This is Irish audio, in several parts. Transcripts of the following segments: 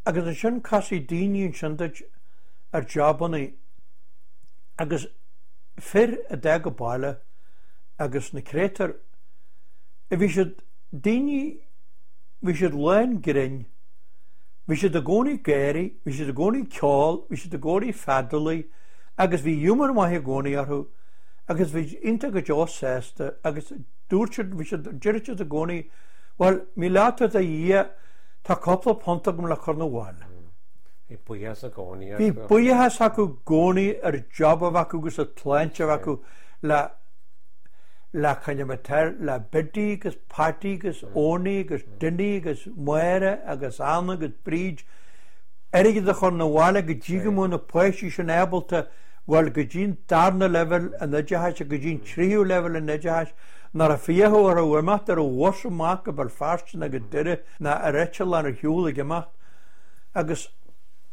Agus ansin casfaidh daoine ansin duit ar jabannaí agus fir a d'fhág an baile agus na créatúir, bhí siad, daoine, bhí siad lán grinn, bhí siad i gcónaí ag gáirí, bhí siad i gcónaí ag ceol, bhí siad i gcónaí ag feadalaigh agus bhí giúmar maith i gcónaí orthu agus bhí siad iontach go deo sásta agus dúirt siad, bhí siad, deireadh siad i gcónaí, bhuel, míle buíochas do Dhia, tá cúpla punt agam le cur 'na bhaile. Bhí buíochas i gcónaí acu. Bhí buíochas acu i gcónaí ar an job a bheith acu agus an tsláinte a bheith acu le le coinne le Biddy agus Patty agus Owenie agus Dinny agus Máire agus Anna agus Bríd airgead a chur 'na bhaile go dtí go mbeadh na páistí sin ábalta bhuel go dtí an darna leibhéal an oideachais go dtí an tríú leibhéal an oideachais nuair a fiachadh orthu imeacht ar an bhus amach go Béal Feirste nó go Doire ná ar eitleán ar shiúl ag imeacht agus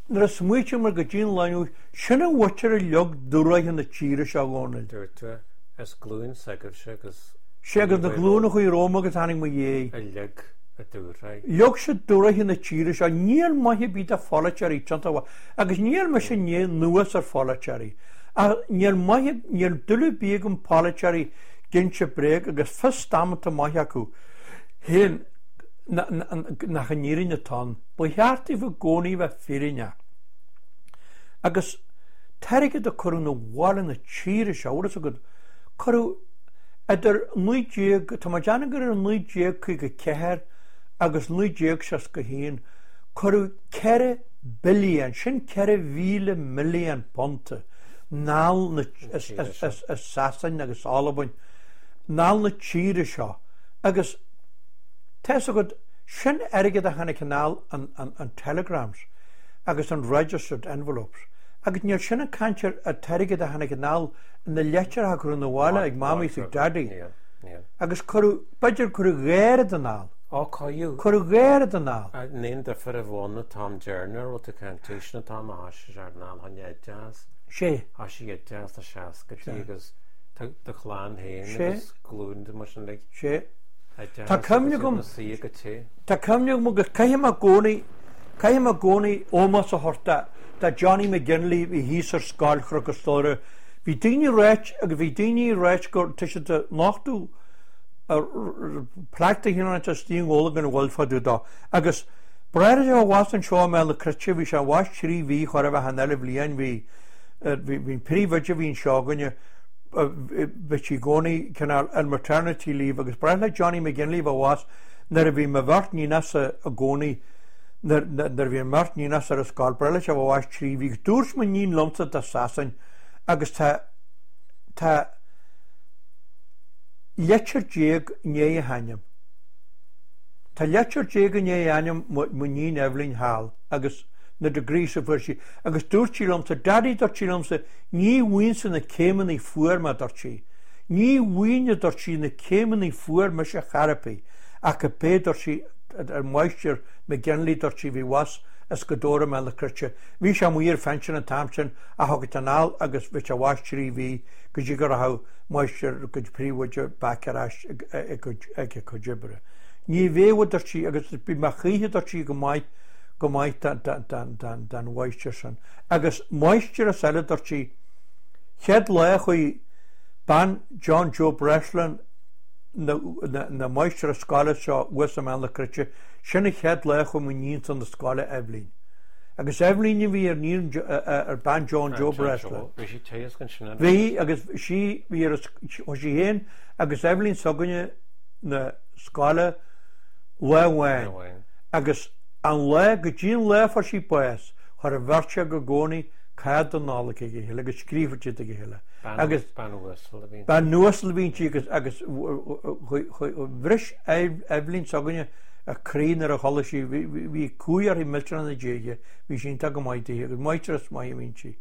nuair a smaoitigh mé go dtí an lá inniu, sin an mhuintir a leag dúshraith na tíre seo, a Dhónaill. Dúirt tú, is glúin s'agaibhse agus. Sé agus na glúin a chuaigh romham agus a tháinig mo dhiaidh. A leag an dúshraith. Leag siad dúshraith na tíre seo. Níl maith ar bith do pholaiteoirí tiontach mhaith. Agus níl mise i ndiaidh anuas ar pholaiteoirí. Ach níl maith, níl dúil ar bith agam polaiteoirí ag inse bréag agus fios damanta maith acu féin nach an fhírinne atá ann. Ba cheart daofa i gcónaí bheith fírinneach. Agus t-airgead a cuireadh 'na bhaile na tíre seo, bhfuil fhios agat, cuireadh idir 19, tá mé ag déanamh gur idir 1954 agus 1961, cuireadh 4 billion, sin 4,000 milliún punt, anall na, as Sasain agus Albain, anall na tíre seo. Agus tá fhios agat, sin airgead a tháinig anall an telegrams agus an registered envelopes. Agus níl sin ag caint ar an t-airgead a tháinig anall na litreacha a cuireadh 'na bhaile ag Mamaí is ag Daidí. Agus cuireadh, b'fhéidir cuireadh dhá oiread anall. Ó, cuireadh. Cuireadh dhá oiread anall. An aon difear a bhí ann an t-am deireanach a raibh tú ag caint faoi sin an t-am a thoisigh sé anall chun oideachas. Sé. Thoisigh oideachas na seascaidí agus do chlann féin agus glúin de mar sin like. Sé. Tá cuimhne agam, tá cuimhne agam agus caithfidh mé i gcónaí, caithfidh mé i gcónaí ómós a thabhairt do, do Johnny McGinley a bhí thíos ar Scoil Chnoc an Stolaire. Bhí daoine ag ráit agus bhí daoine ag ráit gur, tá siad ag nochtadh plaic de chineál istigh i nGaeilge gan a bhfuil fá dtaobh dó. Agus bráthair a bhas anseo i mBéal na Cruite, bhí sé abhus trí mhí chóir a bheith an eile bhliain, bhí, bhí an príomhoide a bhí anseo againne, bhí sí i gcónaí cineál ar maternity leave agus ba bhreá le Johnny McGinley bheith abhus nuair a bhí mo bheirt níonacha i gcónaí nuair a bhí an bheirt níonacha ar an scoil, ba bhreá leis a bheith abhus 3 mhí agus dúirt mo níon liomsa do Sasain agus tá tá litir déag i ndiaidh a hainm. Tá litir déag i ndiaidh a ainm mo níon Eibhlín thall agus na degrees a fuair sí agus dúirt sí liomsa, Daddy dúirt sí liomsa, Ní bhfuighinnse na céimeannaí fuair mé, a dúirt sí. Ní bhfuighinne, a dúirt sí, na céimeannaí fuair mise chor ar bith, ach cibé, dúirt sí, an Máistir McGinley, dúirt sí, bhí abhus as go Dora Mhéal na Cruite. Bhí sé amuigh ar phension an t-am sin ach thug anall agus bhí sé abhus 3 mhí go dtí go rachadh Máistir go príomhoide back ar ais ag a cuid oibre. Ní bheadh, a dúirt sí, agus bhí mé choíche, dúirt sí, go maith, go maith don mháistir sin. Agus máistreás eile, dúirt sí, chéad lá a chuaigh bean John Joe Breslin na máistreás scoile seo thuas i mBéal na Cruite, sin an chéad lá a chuaigh mo níon chun na scoile, Eibhlín. Agus Eibhlín a bhí ar níon ar bean John Joe Breslin. Bhí sí teasc ansin. Bhí agus sí bhí ar chuaigh sí féin agus Eibhlín s'againne na scoile lá amháin agus an lá go dtí an lá a fuair sí bás Chuir an bheirt acu i gcónaí cárta Nollag ag a chéile agus scríobhadh siad ag a chéile. Agus bean uasal a bhí inti. Bean uasal a bhí inti agus agus bhris Eibhlín s'againne a croí nuair a chuala sí, bhí cumhaidh uirthi millteanach ina diaidh, bhí sí iontach go maith daoithe agus máistreás maith a bhí inti.